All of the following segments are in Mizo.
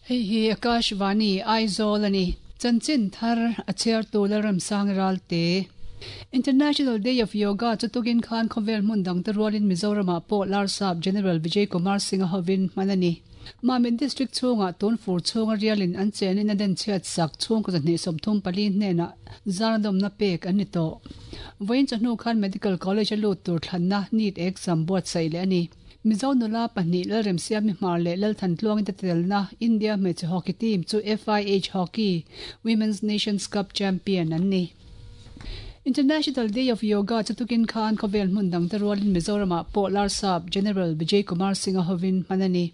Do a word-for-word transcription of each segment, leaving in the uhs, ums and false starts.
Hei hi Akashvani Aizawl ani. Chanchin thar a chhiar tu Lalramsang Ralte. International Day of Yoga chu tukin khan khawvel hmun dang te rualin Mizoramah pawh Larsap General Vijay Kumar Singh a hovin hman a ni. Mamit District chhungah tun fur chhunga rialin an chenin a den chhiat sak chhungkaw zahnih sawmthum pali hnenah zarnadawmna pek an ni tawh. Vawiin chawhnu khan Medical College a lut tur thlanna NEET exam buatsaih leh a ni. Mizo nula pahnih Lalremsiami Hmar leh Lalthantluangin te telna India hmeichhe hockey team chu F I H Hockey Women's Nations Cup champion an ni. International Day of Yoga chu tukin khan khawvel hmun dang te rualin Mizoramah pawh Larsap General Vijay Kumar Singh a hovin hman a ni.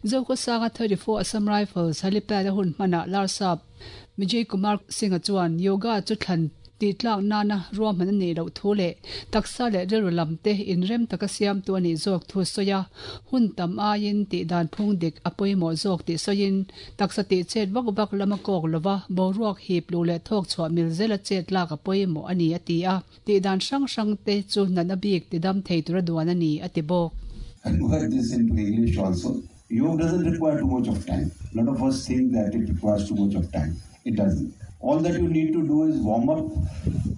Zokhawsanga thirty four Assam Rifles helipad a hun hmanah Larsap Vijay Kumar Singh a chuan yoga chu thlan tih tlak nana ruahman a nih loh thu leh taksa leh rilru lam te inrem taka siamtu a nih zawk thu sawi a, hun tam aiin tih dan phung dik a pawimawh zawk tih sawiin taksa tih chet vak vak lam a kawk lova boruak hip luh leh thawk chhuah mil zela chet lak a pawimawh a ni a ti a, tih dan hrang hrang te chu natna bik ti dam thei tura duan a ni a ti bawk. Convert this into English also. Yoga doesn't require too much of time. A lot of us think that it requires too much of time. It doesn't. All that you need to do is warm up,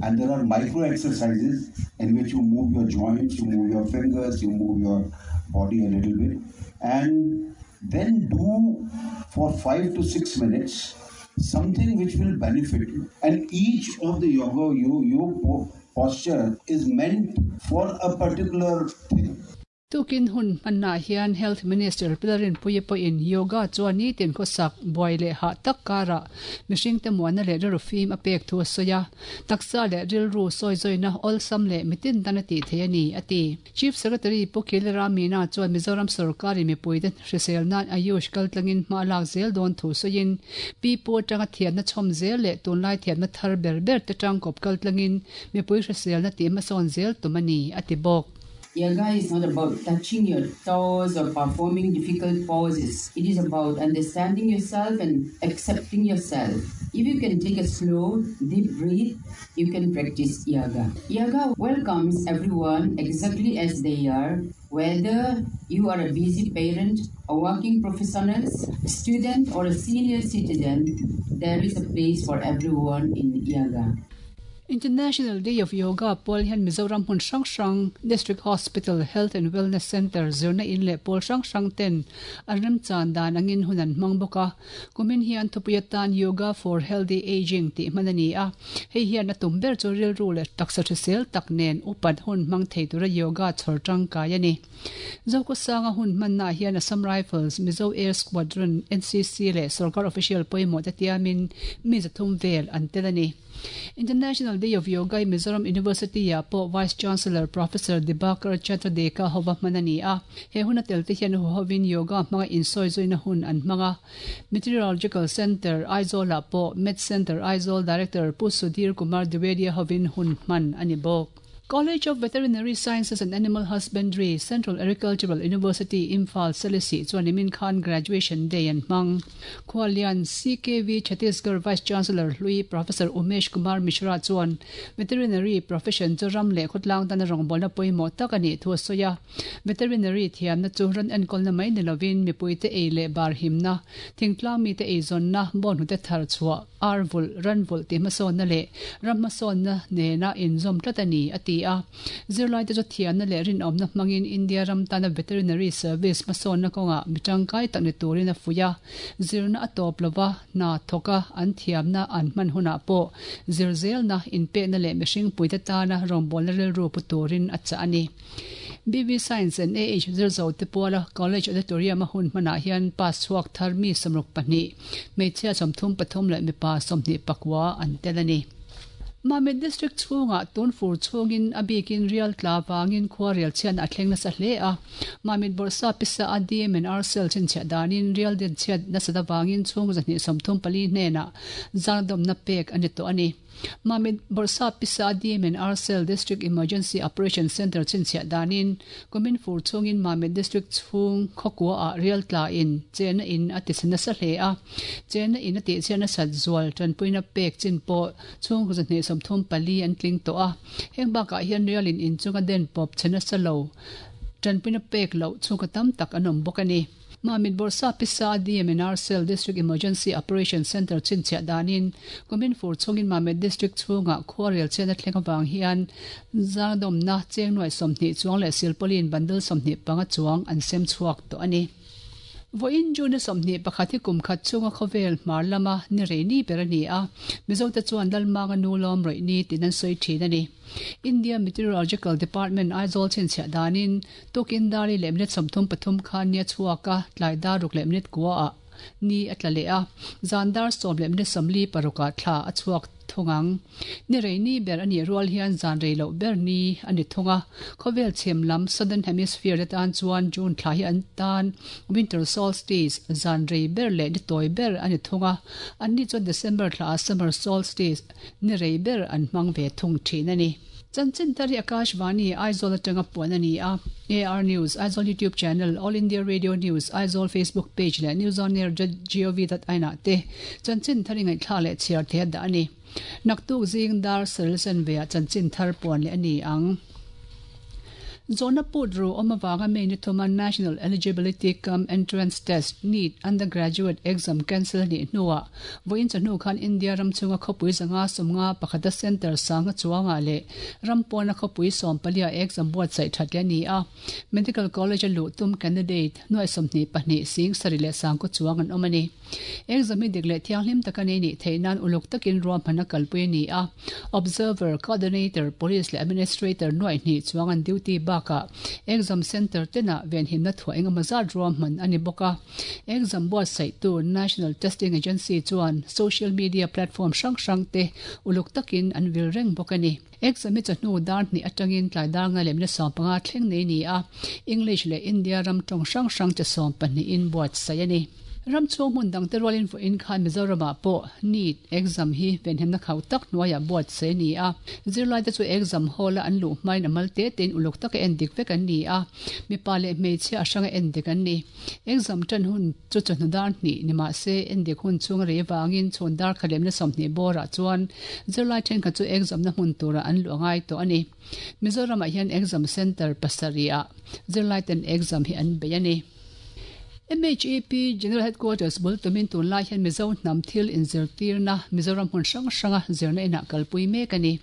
and there are micro exercises in which you move your joints, you move your fingers, you move your body a little bit, and then do for five to six minutes something which will benefit you. And each of the yoga, you, your posture is meant for a particular thing. Tukin hun hmanna hian Health Minister Pilarin Puye pawhin yoga chuan ni tin khawsak buai leh hah tak karah mihring te muanna leh rilru fim a pek thu a sawi a, taksa leh rilru sawi zawina awlsam leh mitin tan a tih thei a ni a ti. Chief Secretary Pu Khilira Meena chuan Mizoram sarkarin mipui te hrisel nan Ayush kaltlangin hma lak zel dawn thu sawiin pi pu atanga thiamna chhawm zel leh tunlai thiamna thar ber ber te tangkawp kaltlangin mipui hriselna tih hmasawn zel tum a ni a ti bawk. Yoga is not about touching your toes or performing difficult poses. It is about understanding yourself and accepting yourself. If you can take a slow, deep breath, you can practice yoga. Yoga welcomes everyone exactly as they are, whether you are a busy parent, a working professional, student or a senior citizen, there is a place for everyone in yoga. International Day of Yoga pawl hian Mizoram hmun hrang hrang District Hospital Health and Wellness Center zirna in leh pawl hrang hrang ten an remchan dan angin hun an hmang bawk a. Kumin hian thupui atan Yoga for Healthy Aging tih hman a ni a. Hei hian a tum ber chu rilru leh taksa hrisel tak nen upat hun hmang thei tura yoga chhawr tangkai a ni. Zokhawsanga hun hmanna hian Assam Rifles, Mizo Air Squadron, N C C leh sarkar official pawimawh te tiamin mi zathum vel an tel a ni. International Day of Yoga in Mizoram University a pawh Vice Chancellor Professor Dibakar Chandra Deka hova hman a ni a. He hun a tel te hian hu hovin yoga hmanga insawi zawina hun an hmanga. Meteorological Center Aizawl ah pawh Met Center Aizawl Director Pu Sudhir Kumar Dwivedi hovin hun hman a ni bawk. College of Veterinary Sciences and Animal Husbandry, Central Agricultural University, Imphal, Selesih chuan Imin Khan Graduation Day an hmang. Khualian C K V Chhattisgarh Vice Chancellor Hlui Professor Umesh Kumar Mishra chuan Veterinary Profession chu ram leh khawtlang tan a rawngbawlna pawimawh tak a nih thu a sawi a. Veterinary thiamna chu ran enkawlna mai ni lovin mipui te ei leh bar himna, thingtlang mi te ei zawnna, bawn hnute thar chhuah, ar vul, ran vul tih hmasawnna leh ram hmasawnna nena inzawm tlat a ni a ti a. Zirlai te chu thiamna leh rinawmna hmangin India ram tana Veterinary Service hmasawnna kawngah mi tangkai tak ni turin a fuih a. Zirna a tawp lova hna thawka an thiamna an hman hunah pawh zir zelna inpekna leh mihring puite tana rawngbawlna rilru pu turin a chah a ni. B V Science and A H zirzo te puala College Auditorium a hun hmanah hian pass chhuak thar mi sawmruk pahnih, hmeichhia sawmthum pathum leh mipa sawmhnih pakua an tel a ni. Mamit District chhungah tun fur chhungin a bikin rial tla wangin khua rial chian a thleng nasa hle a. Mamit Borsa pisa a D M and R cell chinchhiah danin rial den chhiat nasa da wangin chhung zahnih sawmthum pali hnenah zardomna pek a ni tawh a ni. Mamit Borsa pisa D M and R cell District Emergency Operation Center chinchhiah danin kumin fur chhungin Mamit District chhung khawkua ah rial tla in chena in a ti nasa hle a. Chena in a ti chhiat sat zual tanpuina pek chin pawh chhung zahnih sawmthum pali an tling tawh a. Heng bakah hian rialin in chunga den pawp chena sa lo tanpuina pek loh chhung ka tam tak an awm bawk a ni. Mamit Borsa Pisa D M N R Cell District Emergency Operation Center chinchia danin kumin fur chungin Mamit District chunga khuarel chena thlenga wang hian zangdom na chengnuai somhni chuang le silpolin bundle somhni panga chuang an sem chuak to ani. Voin june somni pakhathi kumkhat chunga khovel marlama ni reini berani a Mizo te chuan dalmanga nulom roini tinan soi thin ani. India Meteorological Department Aizawl chinchia danin tukin dari lemnet somthum pathum khan nia chuaka tlaida ruk lemnet kwa a ni atlale a zandar som lemnet somli paruka thla a chuak thungang ni reini ber ani rual hian zan reilo ber ni ani thunga khovel chemlam southern hemisphere tan chuan June thla hi an tan winter solstice zan rei ber le ni toy ber ani thunga anni chuan December thla summer solstice ni rei ber an mang ve thung thin ani. Chanchin tari Akashvani Aizawl atanga puan ani a A R News Aizawl YouTube channel All India Radio News Aizawl Facebook page le News on Air gov dot in te chanchin thari ngai thla le chiar the da ani naktuk zing dar selsen ve chanchin thar puan le ani ang. Zona Pudru Omawanga Meni Thoma National Eligibility Cum Entrance Test NEET Undergraduate Exam Cancel ni nuwa voin chanu khan India ram chunga khopui zanga somnga pakhata center sanga chuanga le rampona khopui som palia exam board sai thatya ni a Medical College lu tum candidate noi somni pahni sing sarile sang ko chuang an omani exam mi digle thianghlim takane ni theinan uluk takin rom phana kalpui ni a observer coordinator police le administrator noi ni chuang an duty ba ka exam center tena ven himna thua enga mazar rom man ani boka exam board sai tu National Testing Agency chuan social media platform sang sang te uluk takin an vil reng bokani exam mi chanu dar ni atangin tlai dar nga lemna som panga thleng nei ni a English le India ram tong sang sang cha som pani in board sai ani ram chung mun dang te rolin vo in khan Mizoram po NEET exam hi ven hemna khau tak nuaya board se ni a zirlai te chu exam hall an lu main amal te ten uluk tak en dik vek an ni a mi pa le me che asanga en dik an ni exam tan hun chu chu dar ni nima se en dik hun chung re wangin chon dar khalem na somni bora chuan zirlai then kha chu exam na hun tura an lu angai to ani Mizoram a hian exam center pasaria zirlai ten exam hi an be ani. M H E P General Headquarters bul tumin tun lai hian Mizo hnam thil inzirtir na Mizoram hmun hrang hranga zirna inah kalpui mek ani.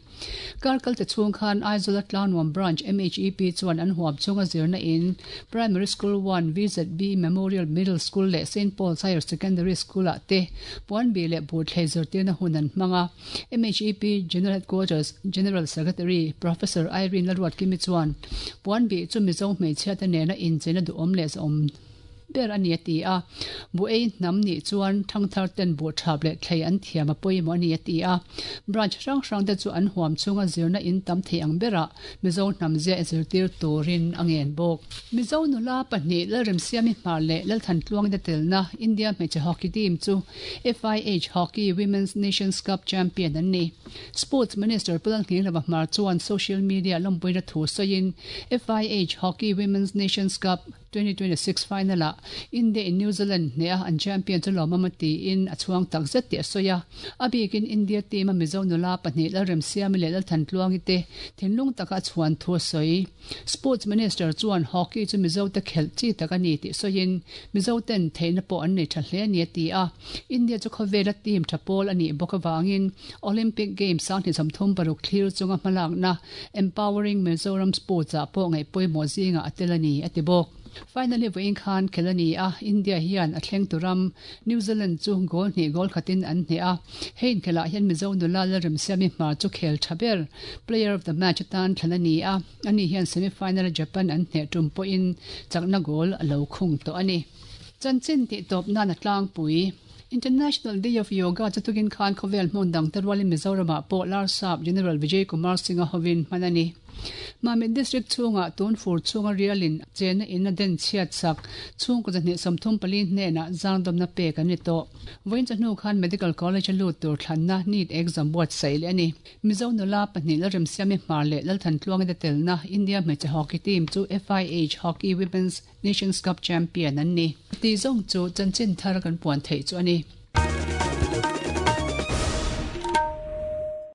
Karkal te chhung khan Aizawl Tlanwam Branch M H E P chuan an huam chunga zirna in Primary School one V Z B Memorial Middle School le Saint Paul's Higher Secondary School ah te puan bi le bu thlei zirtirna hun an hmanga. M H E P General Headquarters General Secretary Professor Irene Lalruat Kimi chuan puan bi chu Mizo hmeichhia te nena incheina duhawm leh zawm ber ani ati a bu ei nam ni chuan thangthar ten bu thap le thlei an thiam a pawimawh ani ati a branch hrang hrang te chu an huam chunga zirna in tam thei ang bera Mizo hnam zia zirtir turin angen bawk. Mizo nula pahnih Lalremsiami Hmar le Lalthan Tluang te telna India hmeichhe hockey team chu F I H Hockey Women's Nations Cup champion an ni. Sports Minister Pulan Ngilava Hmar chuan social media lampuina thu sawiin F I H Hockey Women's Nations Cup twenty twenty-six final a India in New Zealand ne a an champion chu lawmamati in a chuang tak zet ti a sawi a abikin India team a Mizo nula pahnih Lalremsiami le Lalthan Tluangi te thinlung taka chuan thu sawi. Sports Minister chuan hockey chu Mizo te khel chi tak ani ti sawiin Mizo ten theina pawh an nei tha hle ani a ti a India chu khawvela team tha pawl ani bawk awangin Olympic Games sang hnih sawmthum paruk thlir chunga hmalakna Empowering Mizoram Sports ah pawh ngaih pawimawh zinga a tel ani a ti bawk. Finally voin khan khelani a India hian a thleng turam New Zealand chu goal ni goal khatin an hne a hein khela hian Mizo nula Lalremsiami Hmar chu khel thaber player of the match tan thlanani a ani hian semi final Japan an hne tum po in chakna goal alo khung to ani. Chanchin ti top na na tlang pui International Day of Yoga chatukin khan khovel hmun dang tarwali Mizoram ah pawh Larsap General Vijay Kumar Singh a hovin hmanani. Mamit District chunga tun fur chunga rialin chena in a den chiat sak chung ko jahni somthum pali hne na zangdom na pe kan ni to voin chanu khan Medical College lu tur thlanna NEET exam board sai le ani. Mizo nula pahnih Lalremsiami Hmar le Lalthan Tluang te telna India hmeichhe hockey team chu F I H Hockey Women's Nations Cup champion an ni. Ti zong chu chanchin thar kan puan thei chu ani.